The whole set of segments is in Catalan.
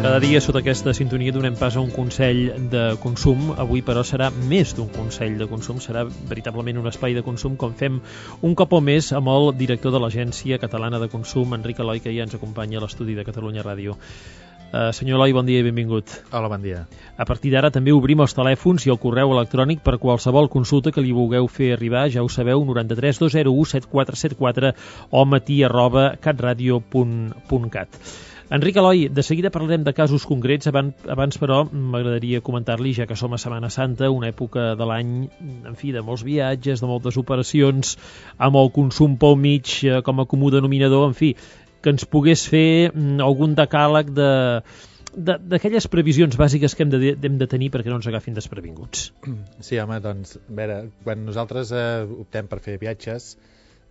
Cada dia sota aquesta sintonia donem pas a un consell de consum. Avui, però, serà més d'un consell de consum, serà veritablement un espai de consum, com fem un cop o més amb el director de l'Agència Catalana de Consum, Enric Eloi, que ja ens acompanya a l'estudi de Catalunya Ràdio. Senyor Eloi, bon dia i benvingut. Hola, bon dia. A partir d'ara també obrim els telèfons i el correu electrònic per qualsevol consulta que li vulgueu fer arribar, ja ho sabeu, 93 201 7474 o matí@catradio.cat. Enric Eloi, de seguida parlarem de casos concrets. Abans, però, m'agradaria comentar-li, ja que som a Setmana Santa, una època de l'any, en fi, de molts viatges, de moltes operacions, amb el consum pel mig com a comú denominador, en fi, que ens pogués fer algun decàleg d'aquelles previsions bàsiques que hem de tenir perquè no ens agafin desprevinguts. Sí, home, doncs, a veure, quan nosaltres optem per fer viatges,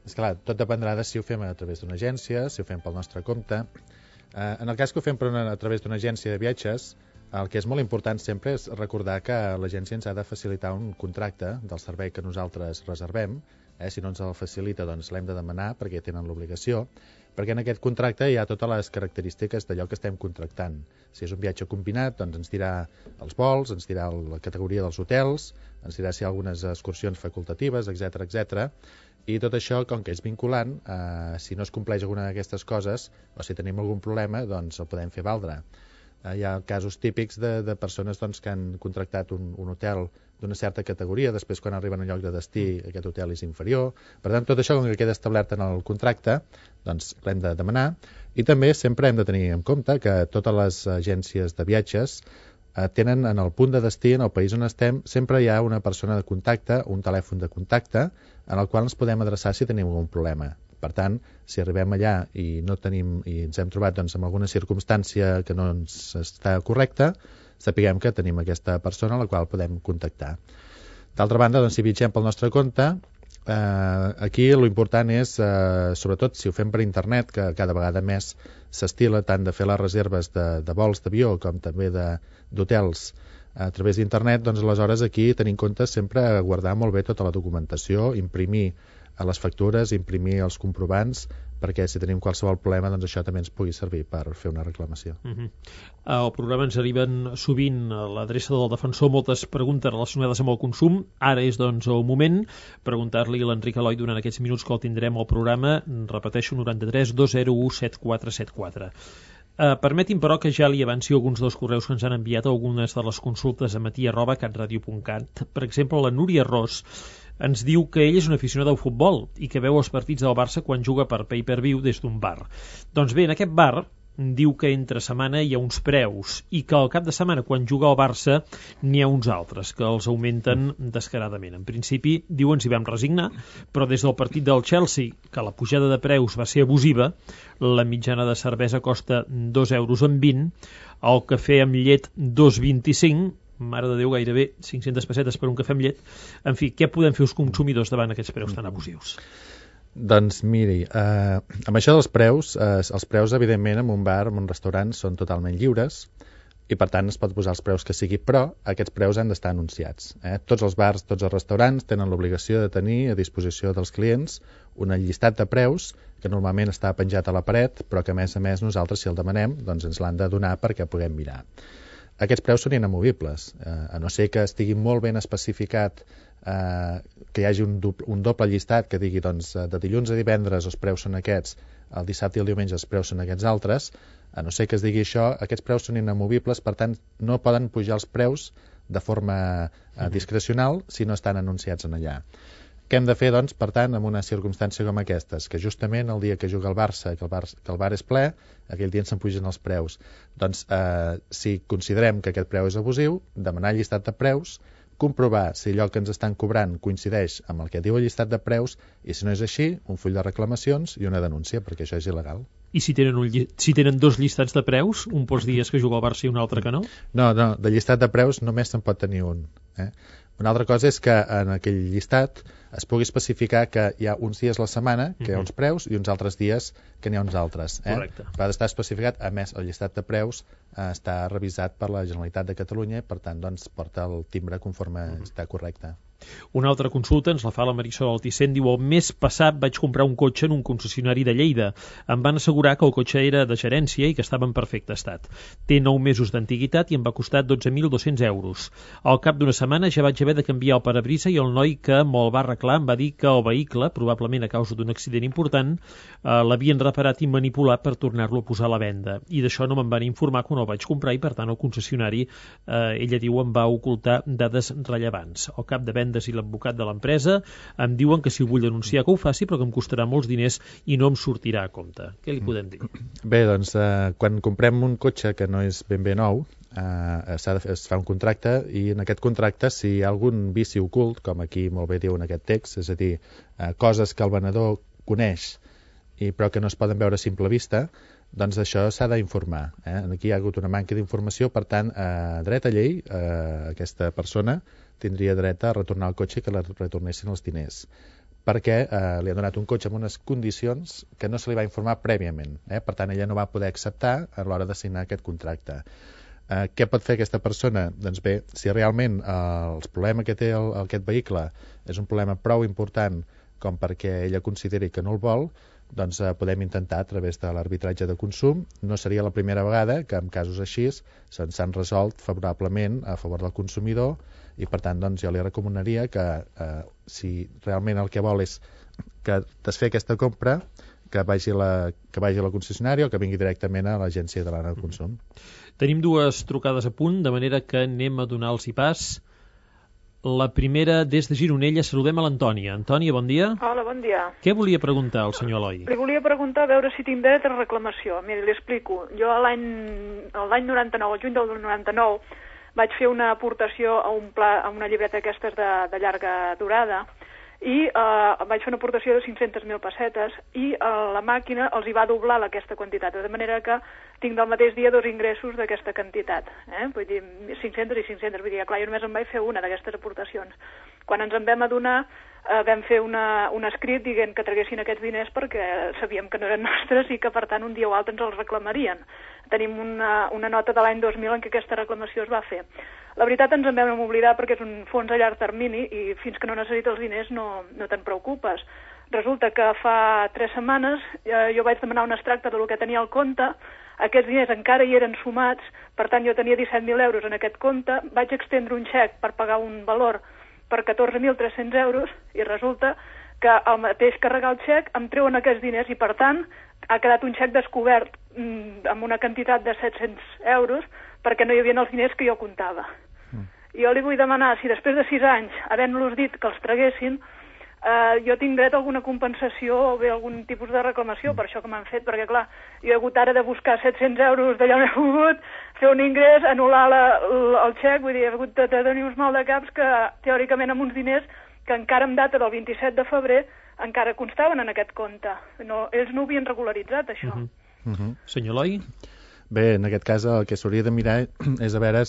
esclar, tot dependrà de si ho fem a través d'una agència, si ho fem pel nostre compte. En el cas que ho fem a través d'una agència de viatges, el que és molt important sempre és recordar que l'agència ens ha de facilitar un contracte del servei que nosaltres reservem. Si no ens el facilita, doncs l'hem de demanar perquè tenen l'obligació, perquè en aquest contracte hi ha totes les característiques d'allò que estem contractant. Si és un viatge combinat, doncs ens dirà els vols, ens dirà la categoria dels hotels, ens dirà si hi ha algunes excursions facultatives, etc. I tot això, com que és vinculant, si no es compleix alguna d'aquestes coses o si tenim algun problema, doncs el podem fer valdre. Hi ha casos típics de persones doncs, que han contractat un hotel d'una certa categoria, després quan arriben al lloc de destí aquest hotel és inferior. Per tant, tot això, com que queda establert en el contracte, doncs l'hem de demanar. I també sempre hem de tenir en compte que totes les agències de viatges tenen en el punt de destí, en el país on estem, sempre hi ha una persona de contacte, un telèfon de contacte, en el qual ens podem adreçar si tenim algun problema. Per tant, si arribem allà i no tenim i ens hem trobat doncs, amb alguna circumstància que no ens està correcta, sapiguem que tenim aquesta persona a la qual podem contactar. D'altra banda, doncs, si viatgem pel nostre compte, aquí l'important és, sobretot si ho fem per internet, que cada vegada més s'estila tant de fer les reserves de vols d'avió com també d'hotels a través d'internet, doncs aleshores aquí tenir en compte sempre guardar molt bé tota la documentació, imprimir les factures, imprimir els comprovants, perquè si tenim qualsevol problema, doncs això també ens pugui servir per fer una reclamació. Al programa ens arriben sovint a l'adreça del defensor moltes preguntes relacionades amb el consum. Ara és, doncs, el moment preguntar-li a l'Enric Eloi durant aquests minuts que el tindrem al programa. Repeteixo, 93 201 7474. Permeti'm, però, que ja li avanci alguns dels correus que ens han enviat algunes de les consultes a matí@catradio.cat. Per exemple, la Núria Ros ens diu que ell és un aficionat al futbol i que veu els partits del Barça quan juga per pay-per-view des d'un bar. Doncs bé, en aquest bar diu que entre setmana hi ha uns preus i que al cap de setmana, quan juga al Barça, n'hi ha uns altres, que els augmenten descaradament. En principi, diuen, s'hi vam resignar, però des del partit del Chelsea, que la pujada de preus va ser abusiva, la mitjana de cervesa costa 2,20 €, el cafè amb llet 2,25 €, mare de Déu, gairebé 500 pessetes per un cafè amb llet. En fi, què podem fer els consumidors davant aquests preus tan abusius? Doncs miri, amb això dels preus, els preus evidentment en un bar, en un restaurant, són totalment lliures i per tant es pot posar els preus que sigui, però aquests preus han d'estar anunciats. Tots els bars, tots els restaurants tenen l'obligació de tenir a disposició dels clients un llistat de preus que normalment està penjat a la paret, però que a més nosaltres, si el demanem, doncs ens l'han de donar perquè puguem mirar. Aquests preus són inamovibles, a no ser que estigui molt ben especificat, que hi hagi un doble llistat que digui doncs, de dilluns a divendres els preus són aquests, el dissabte i el diumenge els preus són aquests altres. A no ser que es digui això, aquests preus són inamovibles, per tant no poden pujar els preus de forma discrecional si no estan anunciats en allà. Què hem de fer, doncs, per tant, en una circumstància com aquestes? Que justament el dia que juga el Barça, que el bar és ple, aquell dia ens se'n pugen els preus. Doncs, si considerem que aquest preu és abusiu, demanar el llistat de preus, comprovar si allò que ens estan cobrant coincideix amb el que diu el llistat de preus i, si no és així, un full de reclamacions i una denúncia, perquè això és il·legal. I si tenen dos llistats de preus, un pels dies que juga el Barça i un altre que no? No, de llistat de preus només se'n pot tenir un. Una altra cosa és que en aquell llistat es pugui especificar que hi ha uns dies a la setmana que hi ha uns preus i uns altres dies que n'hi ha uns altres. Correcte. Ha d'estar especificat, a més, el llistat de preus està revisat per la Generalitat de Catalunya i, per tant, doncs, porta el timbre conforme està correcte. Una altra consulta ens la fa la Marisol Alticent, diu: el mes passat vaig comprar un cotxe en un concessionari de Lleida. Em van assegurar que el cotxe era de gerència i que estava en perfecte estat. Té 9 mesos d'antiguitat i em va costar 12.200 euros. Al cap d'una setmana ja vaig haver de canviar el parabrisa i el noi que me'l va arreglar em va dir que el vehicle, probablement a causa d'un accident important, l'havien reparat i manipulat per tornar-lo a posar a la venda. I d'això no me'n van informar quan el vaig comprar i, per tant, el concessionari, ella diu, em va ocultar dades rellevants. Al cap de vendes i l'advocat de l'empresa em diuen que si ho vull denunciar que ho faci, però que em costarà molts diners i no em sortirà a compte. Què li podem dir? Bé, doncs, quan comprem un cotxe que no és ben bé nou, es fa un contracte i en aquest contracte, si hi ha algun vici ocult, com aquí molt bé diu en aquest text, és a dir, coses que el venedor coneix però que no es poden veure a simple vista, doncs això s'ha d'informar. Aquí hi ha hagut una manca d'informació, per tant, dret a llei, aquesta persona tindria dret a retornar el cotxe i que li retornessin els diners, perquè li ha donat un cotxe amb unes condicions que no se li va informar prèviament. Per tant, ella no va poder acceptar a l'hora de signar aquest contracte. Què pot fer aquesta persona? Doncs bé, si realment el problema que té aquest vehicle és un problema prou important com perquè ella consideri que no el vol, doncs podem intentar a través de l'arbitratge de consum. No seria la primera vegada que en casos així s'han resolt favorablement a favor del consumidor i, per tant, doncs, jo li recomanaria que si realment el que vol és que desfer aquesta compra, que vagi a la concessionària o que vingui directament a l'Agència Catalana del Consum. Tenim dues trucades a punt, de manera que anem a donar-los pas. La primera, des de Gironella, saludem a l'Antònia. Antònia, bon dia. Hola, bon dia. Què volia preguntar al senyor Eloi? Li volia preguntar a veure si tinc dret a reclamació. Miri, li explico. Jo l'any 99, al juny del 99, vaig fer una aportació a una llibreta d'aquestes de llarga durada i vaig fer una aportació de 500.000 pessetes i la màquina els hi va doblar aquesta quantitat, de manera que tinc del mateix dia 2 ingressos d'aquesta quantitat. Vull dir, 500 i 500. Vull dir, clar, jo només em vaig fer una d'aquestes aportacions. Quan ens en vam adonar, vam fer un escrit dient que traguessin aquests diners perquè sabíem que no eren nostres i que, per tant, un dia o altre ens els reclamarien. Tenim una nota de l'any 2000 en què aquesta reclamació es va fer. La veritat ens en vam oblidar perquè és un fons a llarg termini i fins que no necessites els diners no te'n preocupes. Resulta que fa 3 setmanes jo vaig demanar un extracte del que tenia al compte, aquests diners encara hi eren sumats, per tant jo tenia 17.000 euros en aquest compte, vaig extendre un xec per pagar un valor per 14.300 euros i resulta que al mateix carregar el xec em treuen aquests diners i, per tant, ha quedat un xec descobert amb una quantitat de 700 euros perquè no hi havia els diners que jo comptava. Jo li vull demanar si després de 6 anys, havent-los dit que els traguessin, jo tinc dret a alguna compensació o bé algun tipus de reclamació per això que m'han fet, perquè clar, jo he hagut ara de buscar 700 euros d'allà on he pogut, fer un ingrés, anul·lar el xec, vull dir, he hagut de tenir uns mal de caps que teòricament amb uns diners que encara en data del 27 de febrer encara constaven en aquest compte. Ells no ho havien regularitzat, això. Senyor Eloi? Bé, en aquest cas el que s'hauria de mirar és a veure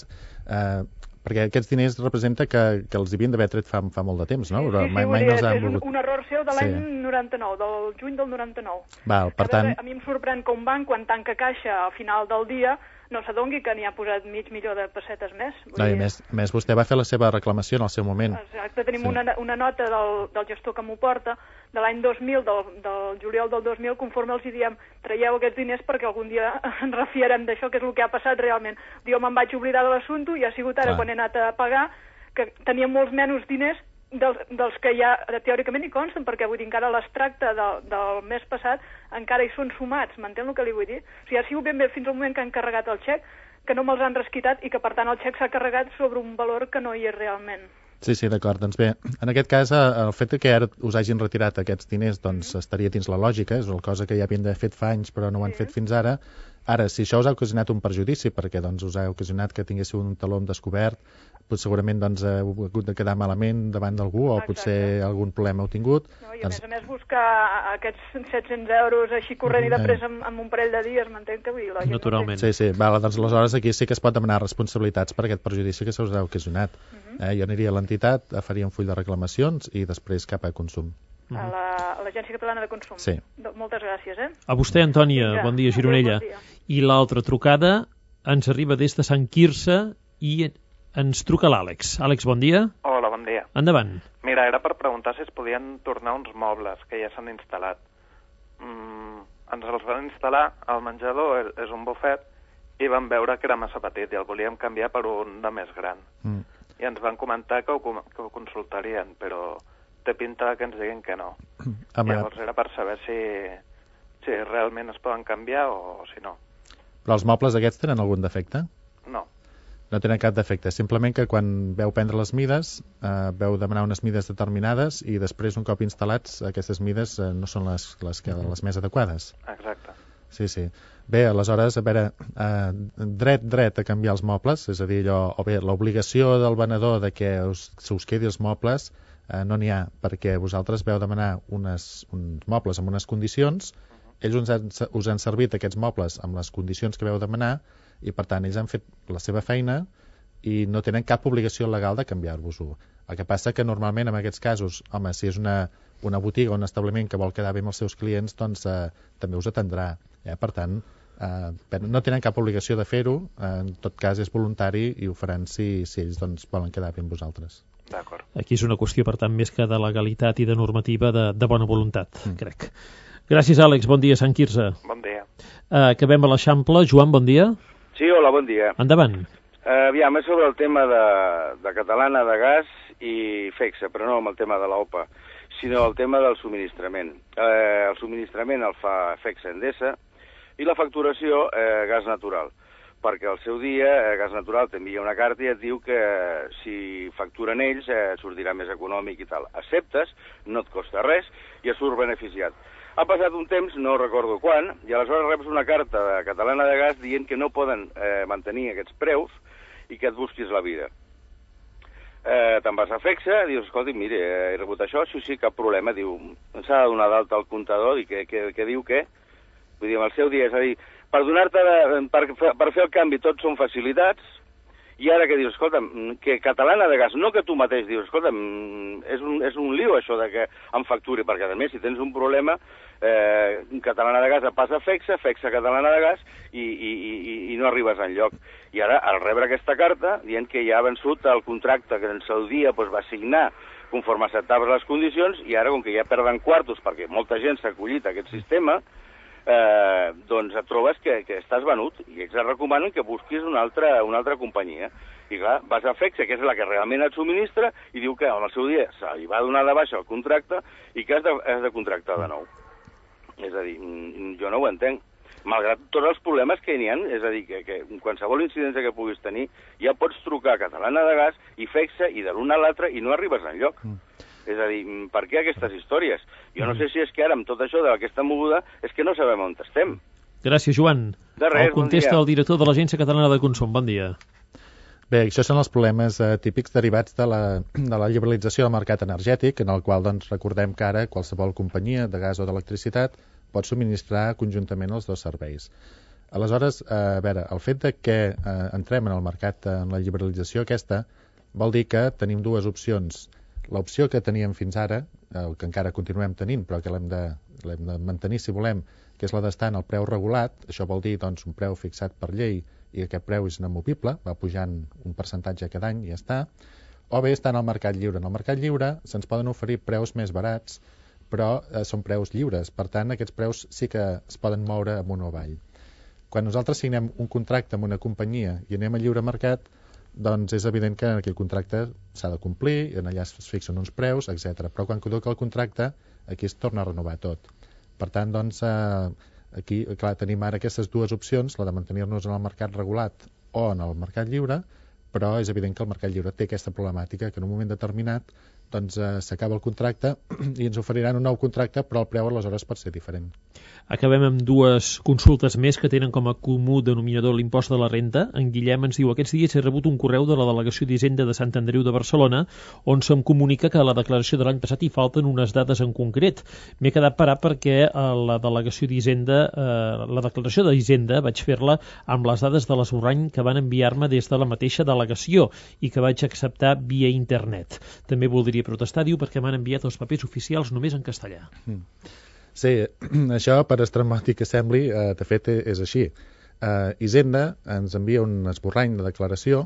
perquè aquests diners representa que els havien d'haver tret fa molt de temps, no? Sí, mai no els han volgut. És un error seu de l'any 99, del juny del 99. Val, per tant... A mi em sorprèn que un banc, quan tanca caixa al final del dia, no s'adongui que n'hi ha posat $500.000 de pessetes més. No, i a més, vostè va fer la seva reclamació en el seu moment. Exacte, tenim una nota del gestor que m'ho porta, de l'any 2000, del juliol del 2000, conforme els diem, traieu aquests diners perquè algun dia ens refiarem d'això, que és el que ha passat realment. Jo me'n vaig oblidar de l'assumpte i ha sigut ara quan he anat a pagar que tenia molts menys diners dels que ja teòricament hi consten, perquè vull dir, encara l'extracte del mes passat encara hi són sumats, m'entén el que li vull dir? O sigui, ha sigut ben bé fins al moment que han carregat el xec, que no me'ls han resquitat i que per tant el xec s'ha carregat sobre un valor que no hi és realment. Sí, d'acord. Doncs bé, en aquest cas, el fet que ara us hagin retirat aquests diners doncs estaria dins la lògica, és una cosa que ja havien d'haver fet fa anys però no ho han fet fins ara. Ara, si això us ha ocasionat un perjudici, perquè doncs us ha ocasionat que tinguéssiu un taló descobert segurament doncs, heu hagut de quedar malament davant d'algú o potser algun problema heu tingut. No, i a més buscar aquests 700 euros així corrent i de pressa amb un parell de dies, m'entenc que vull dir, la gent naturalment. Sí, vale, doncs aleshores aquí sí que es pot demanar responsabilitats per aquest perjudici que se us ha ocasionat. Jo aniria a l'entitat, faria un full de reclamacions i després cap a consum. A l'Agència Catalana de Consum. Sí. Moltes gràcies, A vostè, Antònia. Bon dia, Gironella. Bon dia. I l'altra trucada ens arriba des de Sant Quirze i ens truca l'Àlex. Àlex, bon dia. Hola, bon dia. Endavant. Mira, era per preguntar si es podien tornar uns mobles que ja s'han instal·lat. Ens els van instal·lar, al menjador és un bufet, i vam veure que era massa petit i el volíem canviar per un de més gran. I ens van comentar que ho consultarien, però té pinta que ens diguin que no. Llavors era per saber si realment es poden canviar o si no. Però els mobles aquests tenen algun defecte? No. No tenen cap defecte, simplement que quan veu prendre les mides, veu demanar unes mides determinades i després, un cop instal·lats, aquestes mides no són les més adequades. Exacte. Sí. Bé, aleshores, a veure, dret a canviar els mobles, és a dir, l'obligació del venedor de que se us quedi els mobles no n'hi ha, perquè vosaltres veu demanar uns mobles amb unes condicions, ells us han servit aquests mobles amb les condicions que veu demanar i per tant ells han fet la seva feina i no tenen cap obligació legal de canviar-vos-ho. El que passa que normalment en aquests casos, home, si és una botiga o un establiment que vol quedar bé amb els seus clients, doncs també us atendrà. Per tant, no tenen cap obligació de fer-ho, en tot cas és voluntari i ho faran si ells doncs, volen quedar bé amb vosaltres. D'acord. Aquí és una qüestió, per tant, més que de legalitat i de normativa, de bona voluntat, crec. Gràcies, Àlex. Bon dia, Sant Quirze. Bon dia. Acabem a l'Eixample. Joan, bon dia. Sí, hola, bon dia. Endavant. Aviam, és sobre el tema de Catalana de Gas i FEXA, però no amb el tema de l'OPA, sinó el tema del subministrament. El subministrament el fa FEXA Endesa i la facturació gas natural, perquè al seu dia Gas Natural t'envia una carta i et diu que si facturen ells sortirà més econòmic i tal. Acceptes, no et costa res i es surt beneficiat. Ha passat un temps, no recordo quan, i aleshores reps una carta de Catalana de Gas dient que no poden mantenir aquests preus i que et busquis la vida. Te'n vas a FEXA, dius, escolta, mire, he rebut això, sí, cap problema, diu, s'ha de donar d'alta al comptador, i què diu què? Vull dir, en el seu dia, és a dir, per fer el canvi tot són facilitats, i ara que dius, escolta, que Catalana de Gas, no que tu mateix dius, escolta, és un lío això de que em facturi, perquè a més, si tens un problema, Catalana de Gas et passa a FEXA Catalana de Gas, i no arribes enlloc. I ara, al rebre aquesta carta, dient que ja ha vençut el contracte que en el dia va signar conforme acceptava les condicions, i ara, com que ja perden quartos, perquè molta gent s'ha acollit a aquest sistema, doncs et trobes que estàs venut i ells et recomanen que busquis una altra companyia. I clar, vas a FEXA, que és la que realment et subministra, i diu que en el seu dia se li va donar de baixa el contracte i que has de contractar de nou. És a dir, jo no ho entenc. Malgrat tots els problemes que n'hi ha, és a dir, que qualsevol incidència que puguis tenir, ja pots trucar a Catalana de Gas i FEXA i de l'una a l'altra i no arribes enlloc. És a dir, per què aquestes històries? Jo no sé si és que ara, amb tot això d'aquesta moguda, és que no sabem on estem. Gràcies, Joan. De res, el contesta el director de l'Agència Catalana de Consum. Bon dia. Bé, això són els problemes típics derivats de la liberalització del mercat energètic, en el qual doncs, recordem que ara qualsevol companyia de gas o d'electricitat pot subministrar conjuntament els dos serveis. Aleshores, a veure, el fet de que entrem en el mercat, en la liberalització aquesta, vol dir que tenim dues opcions. L'opció que teníem fins ara, que encara continuem tenint, però que l'hem de mantenir si volem, que és la d'estar en el preu regulat, això vol dir doncs, un preu fixat per llei i aquest preu és inamovible, va pujant un percentatge cada any i ja està, o bé estar en el mercat lliure. En el mercat lliure se'ns poden oferir preus més barats, però són preus lliures, per tant aquests preus sí que es poden moure amunt o avall. Quan nosaltres signem un contracte amb una companyia i anem a lliure mercat, doncs és evident que aquell contracte s'ha de complir, i allà es fixen uns preus, etc. Però quan caduca el contracte, aquí es torna a renovar tot. Per tant, doncs, aquí clar, tenim ara aquestes dues opcions, la de mantenir-nos en el mercat regulat o en el mercat lliure, però és evident que el mercat lliure té aquesta problemàtica, que en un moment determinat doncs s'acaba el contracte i ens oferiran un nou contracte, però el preu aleshores pot ser diferent. Acabem amb dues consultes més que tenen com a comú denominador l'impost de la renta. En Guillem ens diu: aquests dies he rebut un correu de la Delegació d'Hisenda de Sant Andreu de Barcelona on se'm comunica que a la declaració de l'any passat hi falten unes dades en concret. M'he quedat parat perquè la Delegació d'Hisenda, la declaració d'Hisenda vaig fer-la amb les dades de l'esborrany que van enviar-me des de la mateixa delegació i que vaig acceptar via internet. També voldria protestar, diu, perquè m'han enviat els papers oficials només en castellà. Sí, això, per estrambòtic que sembli, de fet és així. Hisenda ens envia un esborrany de declaració,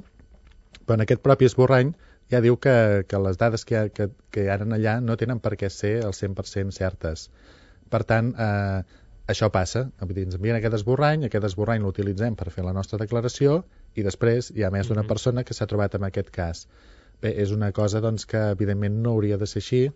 però en aquest propi esborrany ja diu que les dades que hi ha allà no tenen per què ser al 100% certes. Per tant, això passa. Ens envien aquest esborrany l'utilitzem per fer la nostra declaració i després hi ha més d'una persona que s'ha trobat en aquest cas. Bé, és una cosa doncs, que evidentment no hauria de ser així.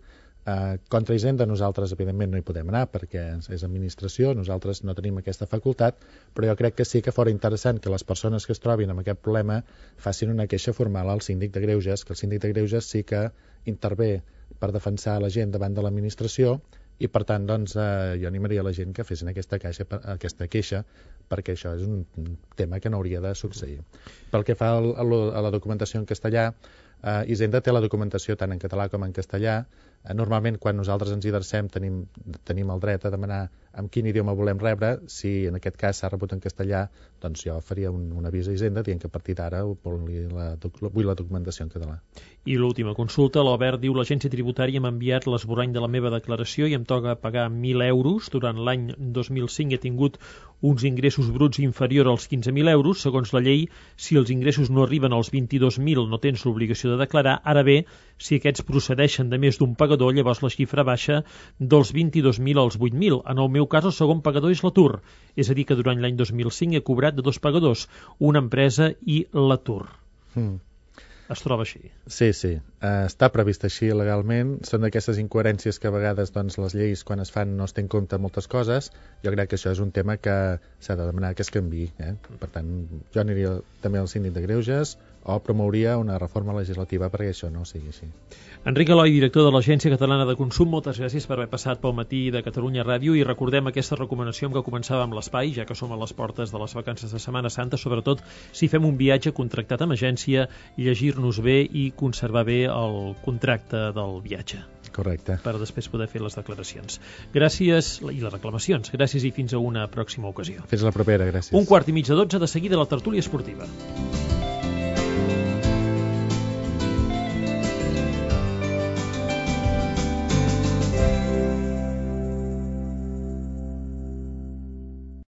Contra Hisenda nosaltres evidentment no hi podem anar perquè és administració, nosaltres no tenim aquesta facultat, però jo crec que sí que fora interessant que les persones que es trobin amb aquest problema facin una queixa formal al síndic de Greuges, que el síndic de Greuges sí que intervé per defensar la gent davant de l'administració i per tant doncs, jo animaria la gent que fessin aquesta queixa perquè això és un tema que no hauria de succeir. Pel que fa a la documentació en castellà, Hisenda té la documentació tant en català com en castellà. Normalment quan nosaltres ens hi adrecem tenim el dret a demanar en quin idioma volem rebre. Si en aquest cas s'ha rebut en castellà, doncs jo faria un avís a Hisenda dient que a partir d'ara vull la documentació en català. I l'última consulta, l'Albert diu: l'agència tributària m'ha enviat l'esborrany de la meva declaració i em toca pagar 1.000 euros. Durant l'any 2005 he tingut uns ingressos bruts inferior als 15.000 euros. Segons la llei, si els ingressos no arriben als 22.000 no tens l'obligació de declarar. Ara bé, si aquests procedeixen de més d'un pagador, llavors la xifra baixa dels 22.000 als 8.000. En el meu cas, el segon pagador és l'atur. És a dir, que durant l'any 2005 he cobrat de dos pagadors, una empresa i l'atur. Es troba així. Sí. Està previst així legalment. Són d'aquestes incoherències que a vegades doncs, les lleis, quan es fan, no es té en compte moltes coses. Jo crec que això és un tema que s'ha de demanar que es canviï. Per tant, jo aniria també al síndic de Greuges o promouria una reforma legislativa perquè això no sigui així. Enric Eloi, director de l'Agència Catalana de Consum, moltes gràcies per haver passat pel matí de Catalunya Ràdio i recordem aquesta recomanació amb què començàvem l'espai, ja que som a les portes de les vacances de Setmana Santa, sobretot si fem un viatge contractat amb agència, llegir-nos bé i conservar bé el contracte del viatge. Correcte. Per després poder fer les declaracions. Gràcies, i les reclamacions. Gràcies i fins a una pròxima ocasió. Fins la propera, gràcies. 11:45, de seguida la tertúlia esportiva.